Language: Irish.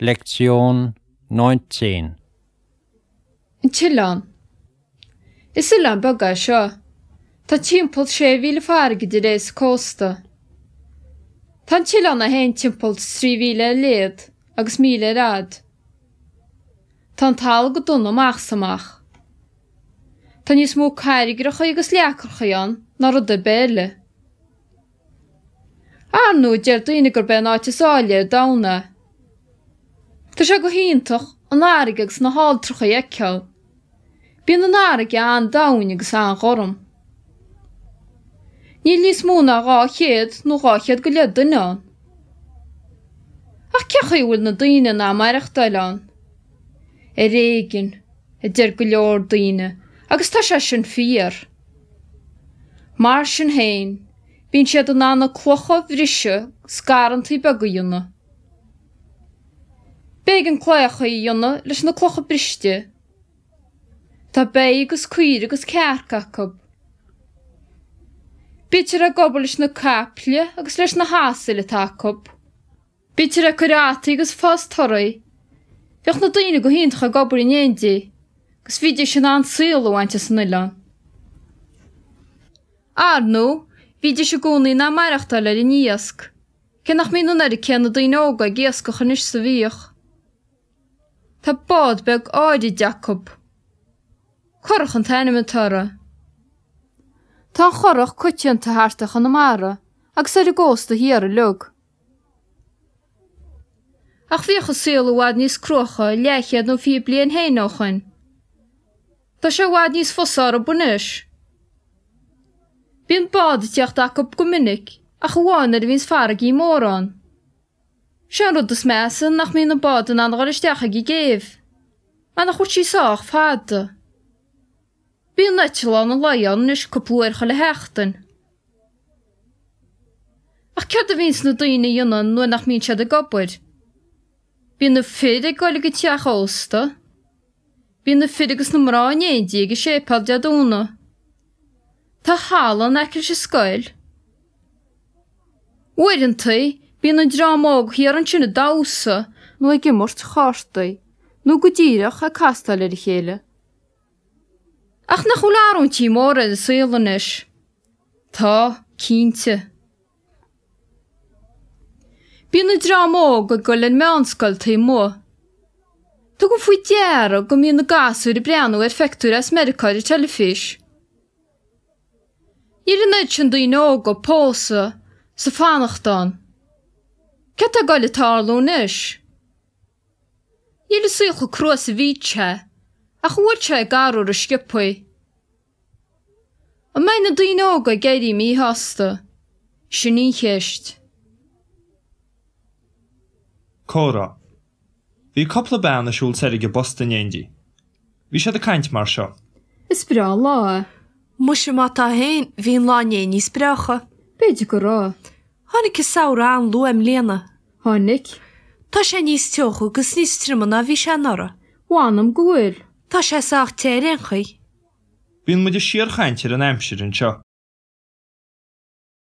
Lektion 19. An tOileán. Is oileán beag é seo. Tá timpeall sé mhíle farraige idir é is an cósta. Tá an t-oileán é féin timpeall 3 mhíle ar leithead agus míle ar fhad. Tá an talamh go dona amach is amach. Tá níos mó carraigreacha agus leacracha ann ná rud ar bith eile. Ar ndóigh, deir daoine gurb é an áit is áille ar domhan é. Tá sé go hiontach an fharraige agus na halltracha a fheiceáil. Bíonn an fharraige an-domhain agus an-ghorm. Níl níos mó ná 200 nó 200 go leith duine ann. Ach cén chaoi a bhfuil na daoine in ann maireachtáil ann? Ar éigean, a deir go leor daoine, agus tá sé sin fíor. Mar sin féin, bíonn siad in ann na clocha a bhriseadh 's garrantaí beaga a dhéanamh. B'éigean claíocha a dhéanamh leis na clocha briste. Tá ba agus caoirigh agus cearca acu. Bítear ag obair leis na caiple agus leis na hasail atá acu. Bítear ag cur fhataí agus fás torthaí. Bheadh na daoine go hiontach ag obair in éindí agus bhídís in ann saol a bhaint as an oileán. Ar ndóigh, bhídís i gcónaí in ann maireachtáil ar an iasc, cé nach mbíonn an oiread céanna daoine óga ag iascach anois is a bhíodh. Tá bád beag áirid acu. Curach an t-ainm atá uirthi. Tá an churach coitianta thart ar Chonamara agus ar an gcósta thiar uilig. Ach bhíodh an saol i bhfad níos cruaiche leathchéad nó 20 bliain féin ó shoin. Tá sé i bhfad níos fusa orthub anois. Bíonn bád ag tíocht acu go minic ach amháin nuair a bhíonns farraigí móra ann. Sé an rud is measa nach mbíonn an bád in ann a dhul isteach ag an gcéibh, mar nach bhfuil sí sách fada. Bíonn eitleán an lae ann anois cúpla uair chuile sheachtain. Ach céard a bhíonns na daoine a dhéanamh nuair nach mbíonn siad ag obair? Bíonn na fir ag goil ag an teach ósta. Bíonn na fir agus na mná in éindí ag an séipéal Dé Domhnaigh. Tá halla in aice leis an scoil. Uaireantaí bíonn an dream óg thiar ansin ag damhsa nó ag imirt chártaí nó go díreach ag castáil ar a chéile. Ach nach bhfuil arúintí móra ar an saol anois? Tá, cinnte. Bíonn an dream óg ag goil ar meánscoil taobh amuigh. Tugaim faoi deara go mbíonn na gasúir ag breathnú ar phictiúir as Meiriceá ar an teilifís. Níl an oiread sin daoine óga ag pósadh 's ag fanacht ann. Céard tá ag goil ag tarlú anois? Níl an saol chomh crua is a bhí sé, ach an bhfuil sé ag athrú ró-sciobthaí? An mbeidh na daoine óga ag éirí míshásta? Sin í an cheist. Comhrá. Bhí cupla bean ag siúl soir ag an bpost in éindí. Bhí siad ag caint mar seo. Is breá an lá é. Muise má tá féin, bhí an lá inné níos breácha. B'fhéidir go raibh. Tháinig an samhradh an-luath i mbliana. Tháinig. Tá sé níos teocha agus níos troime ná bhí sé anuraidh. Mh'anam go bhfuil. Tá sé sách te ar aon chaoi. Bíonn muid ag síorchaint ar an aimsir anseo.